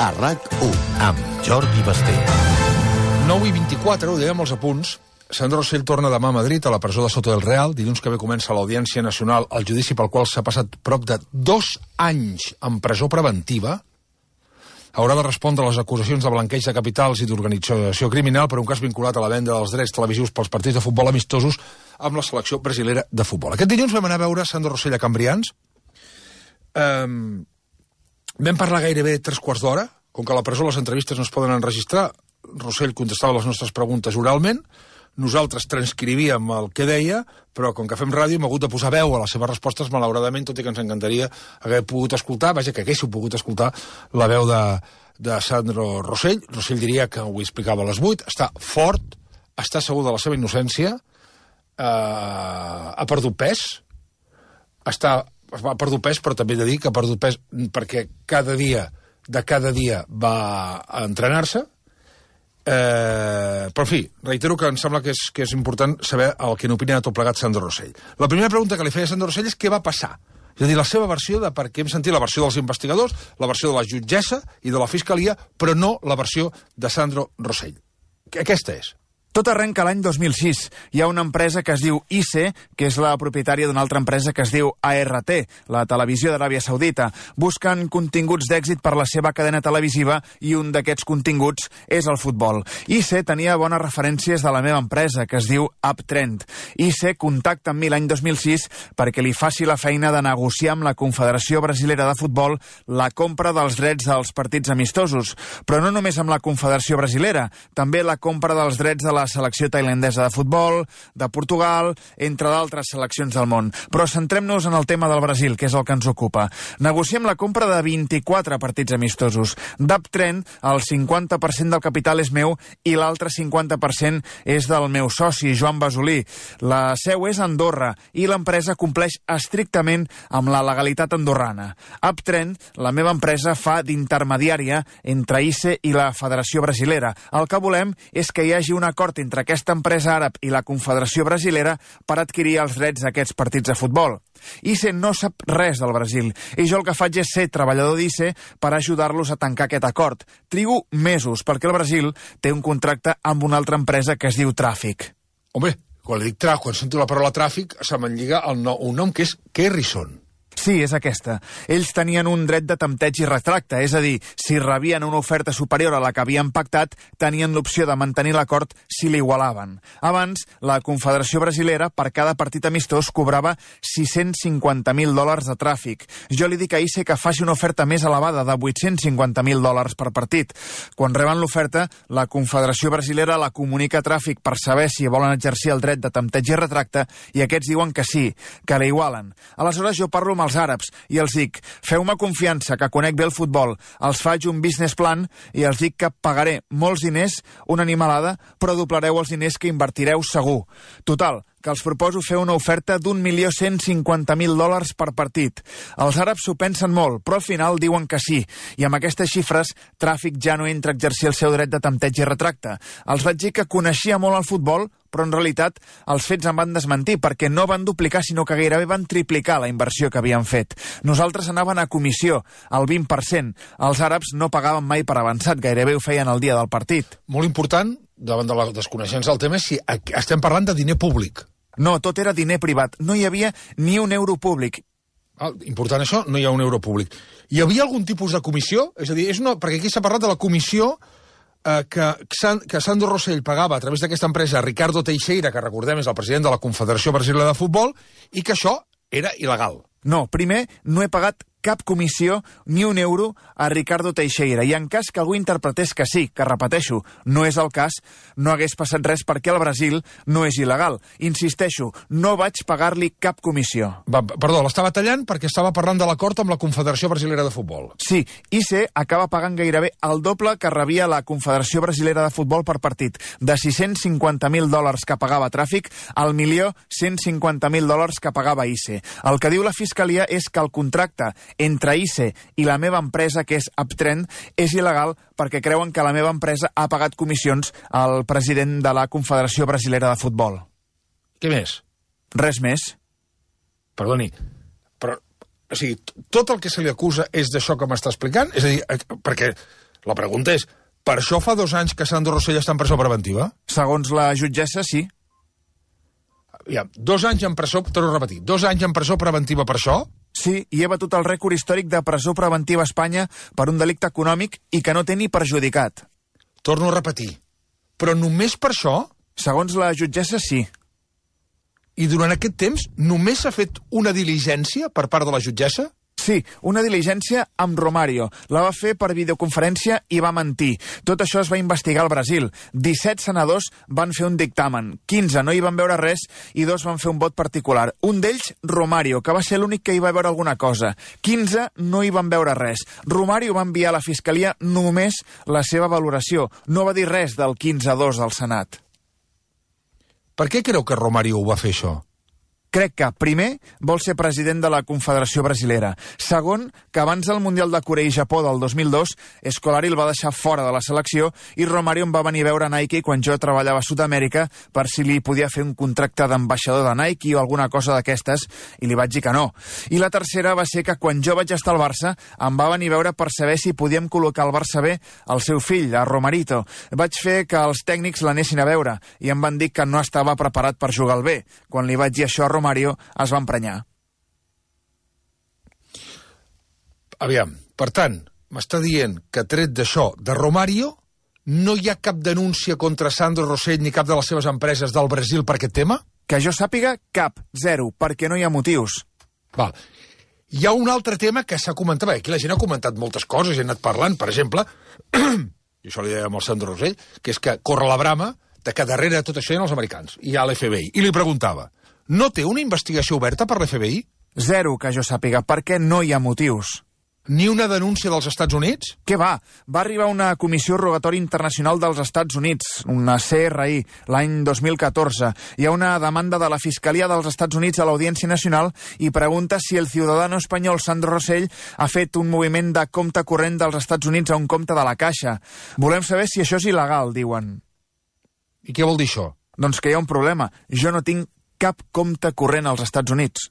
a RAC1 amb Jordi Basté. 9:24, ho dèiem als apunts. Sandro Rosell torna demà a Madrid, a la presó de Soto del Real. Dilluns que ve comença l'Audiència Nacional, el judici pel qual s'ha passat prop de 2 anys en presó preventiva. Haurà de respondre a les acusacions de blanqueig de capitals i d'organització criminal per un cas vinculat a la venda dels drets televisius pels partits de futbol amistosos amb la selecció brasilera de futbol. Aquest dilluns vam anar a veure Sandro Rosell a Cambrians. Vam parlar gairebé 3/4 d'hora. Com que a la presó les entrevistes no es poden enregistrar, Rosell contestava les nostres preguntes oralment, nosaltres transcrivíem el que deia, però com que fem ràdio hem hagut de posar veu a les seves respostes, malauradament, tot i que ens encantaria haver pogut escoltar, vaja, que haguéssiu pogut escoltar la veu de Sandro Rosell. Rosell diria que ho explicava a les 8, està fort, està segur de la seva innocència, ha perdut pes, ha perdut pes, però també he de dir que ha perdut pes perquè cada dia va a entrenar-se. Però en fi, reitero que em sembla que és important saber el que n'opina de tot plegat Sandro Rosell. La primera pregunta que li feia a Sandro Rosell és què va passar. És a dir, la seva versió de per què hem sentit la versió dels investigadors, la versió de la jutgessa i de la fiscalia, però no la versió de Sandro Rosell. Aquesta és. Tot arrenca l'any 2006. Hi ha una empresa que es diu ICE, que és la propietària d'una altra empresa que es diu ART, la televisió d'Aràbia Saudita. Busquen continguts d'èxit per la seva cadena televisiva i un d'aquests continguts és el futbol. ICE tenia bones referències de la meva empresa, que es diu Uptrend. ICE contacta amb mi l'any 2006 perquè li faci la feina de negociar amb la Confederació Brasilera de Futbol la compra dels drets dels partits amistosos. Però no només amb la Confederació Brasilera, també la compra dels drets de la selecció tailandesa de futbol, de Portugal, entre d'altres seleccions del món. Però centrem-nos en el tema del Brasil, que és el que ens ocupa. Negociem la compra de 24 partits amistosos. D'Uptrend, el 50% del capital és meu i l'altre 50% és del meu soci, Joan Basolí. La seu és a Andorra i l'empresa compleix estrictament amb la legalitat andorrana. Uptrend, la meva empresa, fa d'intermediària entre ICE i la Federació Brasilera. El que volem és que hi hagi un acord entre aquesta empresa àrab i la Confederació Brasilera per adquirir els drets d'aquests partits de futbol. ICE no sap res del Brasil i jo el que faig és ser treballador d'ICE per ajudar-los a tancar aquest acord. Trigo mesos perquè el Brasil té un contracte amb una altra empresa que es diu Tràfic. Home, quan sento la paraula tràfic se me'n lliga un nom que és Kerrison. Sí, és aquesta. Ells tenien un dret de tempteig i retracte, és a dir, si rebien una oferta superior a la que havien pactat, tenien l'opció de mantenir l'acord si l'igualaven. Abans, la Confederació Brasilera, per cada partit amistós, cobrava $650.000 de tràfic. Jo li dic a ICE que faci una oferta més elevada, de $850.000 per partit. Quan reben l'oferta, la Confederació Brasilera la comunica a Tràfic per saber si volen exercir el dret de tempteig i retracte, i aquests diuen que sí, que l'igualen. Aleshores jo parlo amb els àrabs i els dic, feu-me confiança que conec bé el futbol, els faig un business plan i els dic que pagaré molts diners, una animalada, però doblareu els diners que invertireu segur. Total, que els proposo fer una oferta $1.150.000 per partit. Els àrabs s'ho pensen molt, però al final diuen que sí, i amb aquestes xifres Tràfic ja no entra a exercir el seu dret de tempteig i retracte. Els vaig dir que coneixia molt el futbol, però en realitat els fets em van desmentir, perquè no van duplicar, sinó que gairebé van triplicar la inversió que havien fet. Nosaltres anaven a comissió, al 20%. Els àrabs no pagaven mai per avançat, gairebé ho feien el dia del partit. Molt important, davant de la desconeixença del tema, és si estem parlant de diner públic. No, tot era diner privat. No hi havia ni un euro públic. Important això, no hi ha un euro públic. Hi havia algun tipus de comissió? És a dir, perquè aquí s'ha parlat de la comissió que Sandro Rosell pagava a través d'aquesta empresa a Ricardo Teixeira, que recordem és el president de la Confederació Brasilera de Futbol, i que això era il·legal. No, primer, no he pagat cap comissió ni un euro a Ricardo Teixeira. I en cas que algú interpretés que sí, que repeteixo, no és el cas, no hagués passat res perquè al Brasil no és il·legal. Insisteixo, no vaig pagar-li cap comissió. Perdó, l'estava tallant perquè estava parlant de l'acord amb la Confederació Brasilera de Futbol. Sí, ICE acaba pagant gairebé el doble que rebia la Confederació Brasilera de Futbol per partit. De $650.000 que pagava Tràfic al $1.150.000 que pagava ICE. El que diu la Fiscalia és que el contracte entre ICE i la meva empresa, que és Uptrend, és il·legal perquè creuen que la meva empresa ha pagat comissions al president de la Confederació Brasilera de Futbol. Què més? Res més. Perdoni, però, o sigui, tot el que se li acusa és d'això que m'està explicant? És a dir, perquè La pregunta és, per això fa 2 anys que Sandro Rosell està en presó preventiva? Segons la jutgessa, sí. Ja, 2 anys en presó, torno a repetir, 2 anys en presó preventiva per això? Sí, i he batut el rècord històric de presó preventiva a Espanya per un delicte econòmic i que no té ni perjudicat. Torno a repetir, però només per això? Segons la jutgessa, sí. I durant aquest temps només s'ha fet una diligència per part de la jutgessa? Sí, una diligència amb Romario. La va fer per videoconferència i va mentir. Tot això es va investigar al Brasil. 17 senadors van fer un dictamen. 15 no hi van veure res i 2 van fer un vot particular. Un d'ells, Romario, que va ser l'únic que hi va veure alguna cosa. 15 no hi van veure res. Romario va enviar a la Fiscalia només la seva valoració. No va dir res del 15-2 del Senat. Per què creu que Romario ho va fer, això? Crec que, primer, vol ser president de la Confederació Brasilera. Segon, que abans del Mundial de Corea i Japó del 2002, Scolari el va deixar fora de la selecció i Romario em va venir a veure a Nike quan jo treballava a Sud-amèrica per si li podia fer un contracte d'ambaixador de Nike o alguna cosa d'aquestes, i li vaig dir que no. I la tercera va ser que quan jo vaig estar al Barça em va venir a veure per saber si podíem col·locar al Barça B el seu fill, a Romarito. Vaig fer que els tècnics l'anessin a veure i em van dir que no estava preparat per jugar al B. Quan li vaig dir això a Romario es va emprenyar. Aviam, per tant, m'està dient que tret d'això de Romario no hi ha cap denúncia contra Sandro Rosell ni cap de les seves empreses del Brasil per aquest tema? Que jo sàpiga, cap, zero, perquè no hi ha motius. Val. Hi ha un altre tema que s'ha comentat, perquè aquí la gent ha comentat moltes coses, he anat parlant, per exemple, i això li deia amb el Sandro Rosell, que és que corre la brama de que darrere de tot això hi ha els americans, hi ha l'FBI, i li preguntava, no té una investigació oberta per l'FBI? Zero, que jo sàpiga, perquè no hi ha motius. Ni una denúncia dels Estats Units? Què va? Va arribar una comissió rogatori internacional dels Estats Units, una CRI, l'any 2014. Hi ha una demanda de la Fiscalia dels Estats Units a l'Audiència Nacional i pregunta si el ciutadano espanyol Sandro Rosell ha fet un moviment de compte corrent dels Estats Units a un compte de la Caixa. Volem saber si això és il·legal, diuen. I què vol dir això? Doncs que hi ha un problema. Jo no tinc cap compte corrent als Estats Units.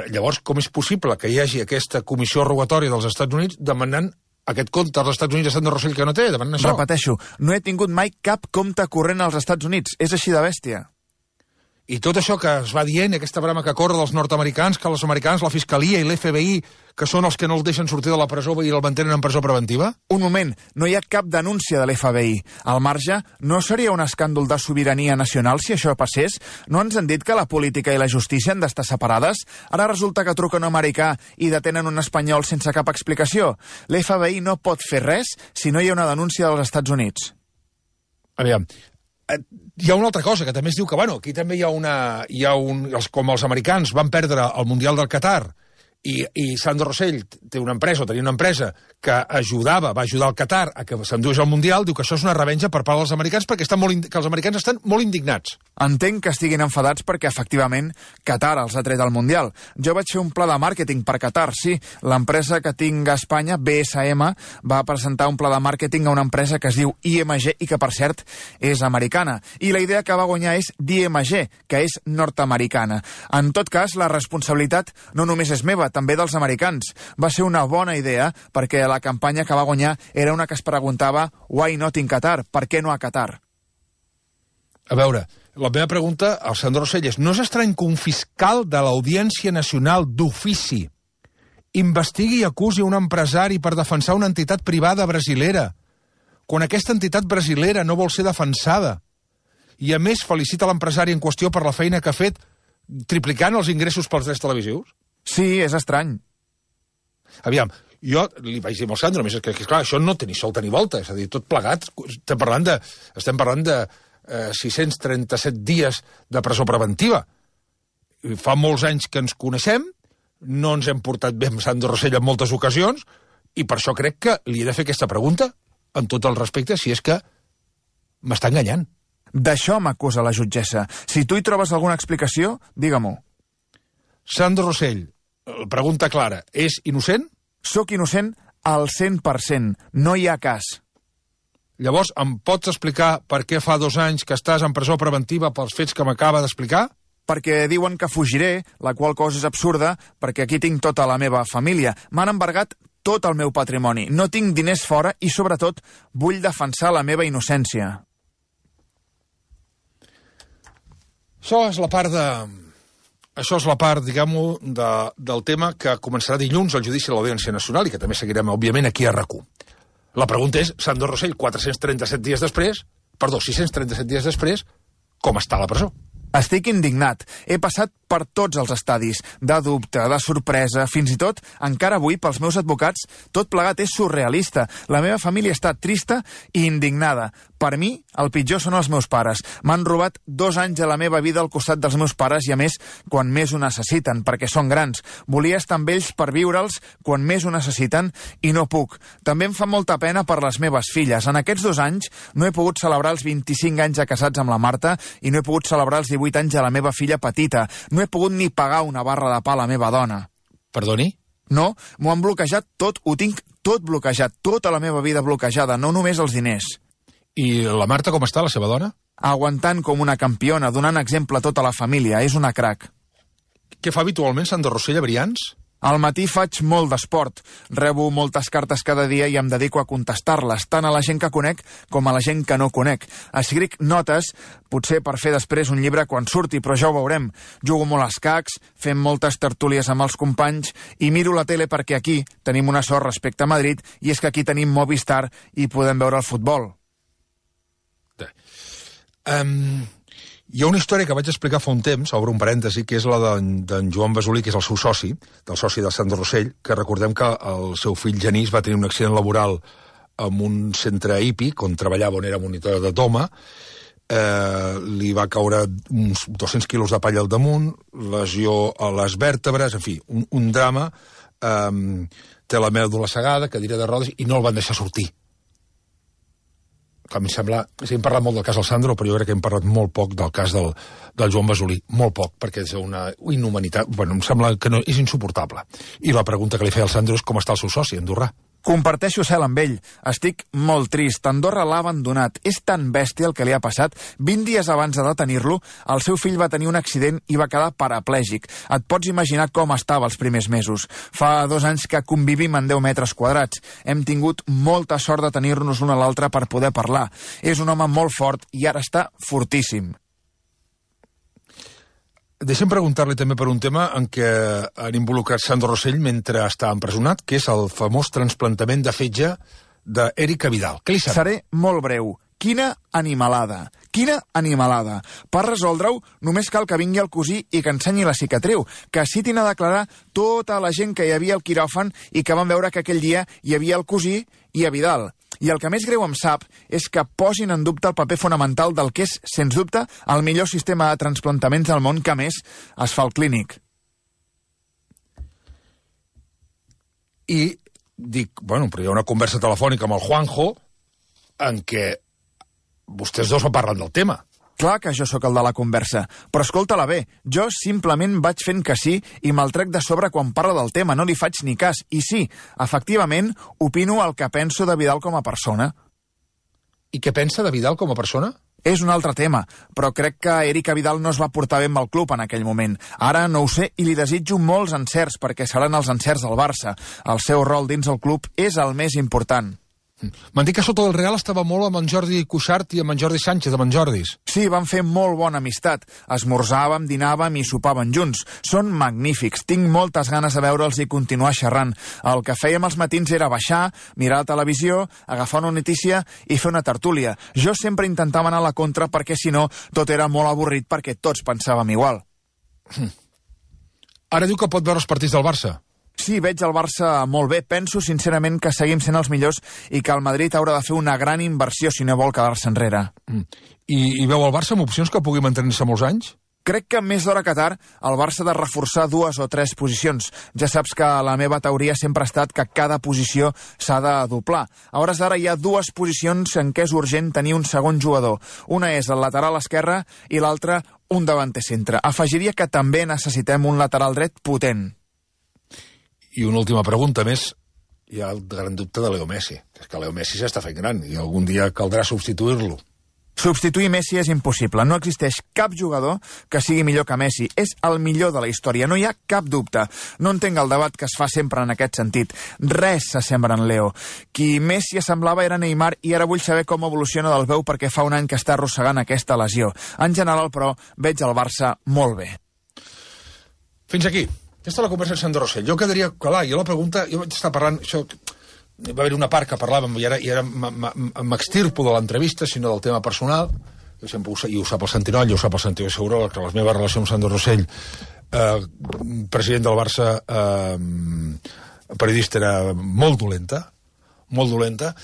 Llavors, com és possible que hi hagi aquesta comissió rogatòria dels Estats Units demanant aquest compte als Estats Units a Sandro Rosell que no té, demanant això? Repeteixo, no he tingut mai cap compte corrent als Estats Units. És així de bèstia. I tot això que es va dient, aquesta brama que corre dels nord-americans, que els americans, la Fiscalia i l'FBI, que són els que no el deixen sortir de la presó i el mantenen en presó preventiva? Un moment, no hi ha cap denúncia de l'FBI. Al marge, no seria un escàndol de sobirania nacional si això passés? No ens han dit que la política i la justícia han d'estar separades? Ara resulta que truca un americà i detenen un espanyol sense cap explicació. L'FBI no pot fer res si no hi ha una denúncia dels Estats Units. Aviam, hi ha una altra cosa, que també es diu que, bueno, aquí també com els americans van perdre el Mundial del Qatar i Sandro Rosell té una empresa, o tenia una empresa que va ajudar el Qatar a que s'endués al Mundial, diu que això és una revenja per part dels americans perquè que els americans estan molt indignats. Entenc que estiguin enfadats perquè, efectivament, Qatar els ha tret al Mundial. Jo vaig fer un pla de màrqueting per Qatar, sí. L'empresa que tinc a Espanya, BSM, va presentar un pla de màrqueting a una empresa que es diu IMG i que, per cert, és americana. I la idea que va guanyar és d'IMG, que és nord-americana. En tot cas, la responsabilitat no només és meva, també dels americans. Va ser una bona idea perquè la campanya que va guanyar era una que es preguntava «Why not in Qatar?» Per què no a Qatar? A veure, la meva pregunta al Sandro Rosell és: no és estrany que un fiscal de l'Audiència Nacional d'ofici investigui i acusi un empresari per defensar una entitat privada brasilera, quan aquesta entitat brasilera no vol ser defensada, i a més felicita l'empresari en qüestió per la feina que ha fet triplicant els ingressos pels drets televisius? Sí, és estrany. Aviam, jo li vaig dir al Sandro, més que clar, això no té ni solta ni volta, és a dir, tot plegat, estem parlant de 637 dies de presó preventiva. Fa molts anys que ens coneixem, no ens hem portat bé amb Sandro Rosell en moltes ocasions, i per això crec que li he de fer aquesta pregunta, amb tot el respecte, si és que m'està enganyant. D'això m'acusa la jutgessa. Si tu hi trobes alguna explicació, digue-m'ho. Sandro Rosell, pregunta clara, és innocent? Soc innocent al 100%. No hi ha cas. Llavors, em pots explicar per què fa 2 anys que estàs en presó preventiva pels fets que m'acaba d'explicar? Perquè diuen que fugiré, la qual cosa és absurda, perquè aquí tinc tota la meva família. M'han embargat tot el meu patrimoni. No tinc diners fora i, sobretot, vull defensar la meva innocència. Això és la part, diguem-ho, del tema que començarà dilluns al judici de l'Audiència Nacional i que també seguirem, òbviament, aquí a RAC1. La pregunta és, Sandro Rosell, 637 dies després, com està a la presó? Estic indignat. He passat per tots els estadis, de dubte, de sorpresa, fins i tot, encara avui, pels meus advocats, tot plegat és surrealista. La meva família està trista i indignada. Per mi, el pitjor són els meus pares. M'han robat 2 anys de la meva vida al costat dels meus pares i, a més, quan més ho necessiten, perquè són grans. Volia estar amb ells per viure'ls quan més ho necessiten i no puc. També em fa molta pena per les meves filles. En aquests 2 anys no he pogut celebrar els 25 anys de casats amb la Marta i no he pogut celebrar els 18 anys de la meva filla petita. No he pogut ni pagar una barra de pa a la meva dona. Perdoni? No, m'ho han bloquejat tot, ho tinc tot bloquejat, tota la meva vida bloquejada, no només els diners. I la Marta com està, la seva dona? Aguantant com una campiona, donant exemple a tota la família, és una crac. Què fa habitualment Sandro Rosell a Brians? Al matí faig molt d'esport, rebo moltes cartes cada dia i em dedico a contestar-les, tant a la gent que conec com a la gent que no conec. Escric notes, potser per fer després un llibre quan surti, però ja ho veurem. Jugo molt a escacs, fem moltes tertúlies amb els companys i miro la tele perquè aquí tenim una sort respecte a Madrid i és que aquí tenim Movistar i podem veure el futbol. Hi ha una història que vaig explicar fa un temps, obre un parèntesi, que és la d'en Joan Basolí, que és el seu soci, del soci de Sandro Rosell, que recordem que el seu fill Genís va tenir un accident laboral en un centre hípic, on treballava, on era monitor de toma, li va caure uns 200 quilos de palla al damunt, lesió a les vèrtebres, en fi, un drama, té la mèdula cegada, cadira de rodes, i no el van deixar sortir. A mi em sembla... Sí, hem parlat molt del cas del Sandro, però jo crec que hem parlat molt poc del cas del Joan Basolí. Molt poc, perquè és una inhumanitat... Bueno, em sembla que no, és insuportable. I la pregunta que li feia al Sandro és com està el seu soci, andorrà. Comparteixo cel amb ell. Estic molt trist. Andorra l'ha abandonat. És tan bèstia el que li ha passat. 20 dies abans de detenir-lo, el seu fill va tenir un accident i va quedar paraplègic. Et pots imaginar com estava els primers mesos. Fa 2 anys que convivim en 10 metres quadrats. Hem tingut molta sort de tenir-nos l'un a l'altre per poder parlar. És un home molt fort i ara està fortíssim. Deixem preguntar-li també per un tema en què han involucrat Sandro Rosell mentre està empresonat, que és el famós trasplantament de fetge d'Eric Vidal. Què li sembla? Seré molt breu. Quina animalada! Quina animalada! Per resoldre-ho, només cal que vingui el cosí i que ensenyi la cicatriu, que citin a declarar tota la gent que hi havia al quiròfan i que van veure que aquell dia hi havia el cosí i a Vidal. I el que més greu em sap és que posin en dubte el paper fonamental del que és, sens dubte, el millor sistema de transplantaments del món que, a més, es fa al Clínic. I dic, bueno, però hi ha una conversa telefònica amb el Juanjo en què vostès dos no parlen del tema. Clar que jo sóc el de la conversa, però escolta-la bé, jo simplement vaig fent que sí i me'l trec de sobre quan parla del tema, no li faig ni cas. I sí, efectivament, opino el que penso de Vidal com a persona. I què pensa de Vidal com a persona? És un altre tema, però crec que Eric Vidal no es va portar bé amb el club en aquell moment. Ara no ho sé i li desitjo molts encerts, perquè seran els encerts del Barça. El seu rol dins el club és el més important. M'han dit que sota del Real estava molt amb en Jordi Cuixart i amb en Jordi Sánchez, amb en Jordis. Sí, van fer molt bona amistat. Esmorzàvem, dinàvem i sopàvem junts. Són magnífics. Tinc moltes ganes de veure'ls i continuar xerrant. El que fèiem als matins era baixar, mirar la televisió, agafar una notícia i fer una tertúlia. Jo sempre intentava anar a la contra perquè, si no, tot era molt avorrit perquè tots pensàvem igual. Ara diu que pot veure els partits del Barça. Sí, veig el Barça molt bé. Penso, sincerament, que seguim sent els millors i que el Madrid haurà de fer una gran inversió si no vol quedar-se enrere. I veu el Barça amb opcions que pugui mantenir-se molts anys? Crec que més d'hora que tard el Barça ha de reforçar 2 o 3 posicions. Ja saps que la meva teoria sempre ha estat que cada posició s'ha de doblar. A hores d'ara hi ha 2 posicions en què és urgent tenir un segon jugador. Una és el lateral esquerre i l'altra un davanter centre. Afegiria que també necessitem un lateral dret potent. I una última pregunta més. Hi ha el gran dubte de Leo Messi. És que Leo Messi s'està fent gran i algun dia caldrà substituir-lo. Substituir Messi és impossible. No existeix cap jugador que sigui millor que Messi. És el millor de la història. No hi ha cap dubte. No entenc el debat que es fa sempre en aquest sentit. Res s'assembla en Leo. Qui Messi assemblava era Neymar i ara vull saber com evoluciona del veu perquè fa un any que està arrossegant aquesta lesió. En general, però, veig el Barça molt bé. Fins aquí. Aquesta és la conversa amb Sandro Rosell. Jo quedaria... Clar, jo la pregunta... Jo vaig estar parlant... Això, va haver una part que parlàvem i ara m'extirpo de l'entrevista, sinó del tema personal. Jo sempre i ho sap el Santinoll, i ho sap el Santiago Segurola, que la meva relació amb Sandro Rosell, president del Barça, periodista, era molt dolenta, molt dolenta.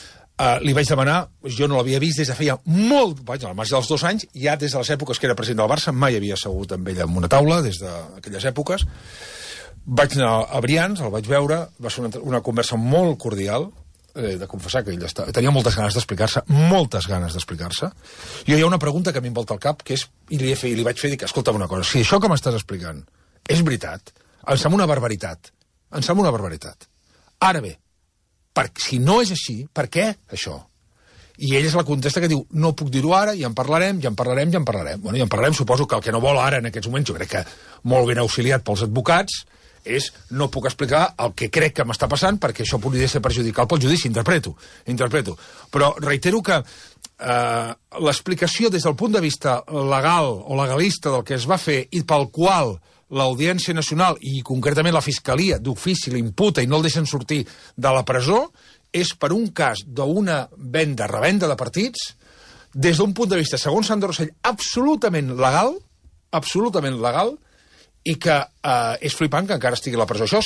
Li vaig demanar, jo no l'havia vist des de feia molt, al marge dels 2 anys, ja des de les èpoques que era president del Barça, mai havia assegut amb ell en una taula, des d'aquelles èpoques. Vaig anar a Brians, el vaig veure, va ser una conversa molt cordial, de confessar que ell tenia moltes ganes d'explicar-se, Jo hi ha una pregunta que a mi em volta al cap, que és, i li vaig fer, dic, escolta'm una cosa, si això que m'estàs explicant és veritat, em sembla una barbaritat. Ara bé, si no és així, per què això? I ell és la contesta que diu, no puc dir-ho ara, ja en parlarem. Bueno, ja en parlarem, suposo que el que no vol ara en aquests moments, jo crec que molt ben auxiliat pels advocats, és no puc explicar el que crec que m'està passant perquè això podria ser perjudicial pel judici, interpreto. Però reitero que l'explicació des del punt de vista legal o legalista del que es va fer i pel qual l'Audiència Nacional i concretament la Fiscalia d'ofici l'imputa i no el deixen sortir de la presó és per un cas d'una revenda de partits des d'un punt de vista, segons Sandro Rosell, absolutament legal, i que és flipant que encara estigui a la presó. Això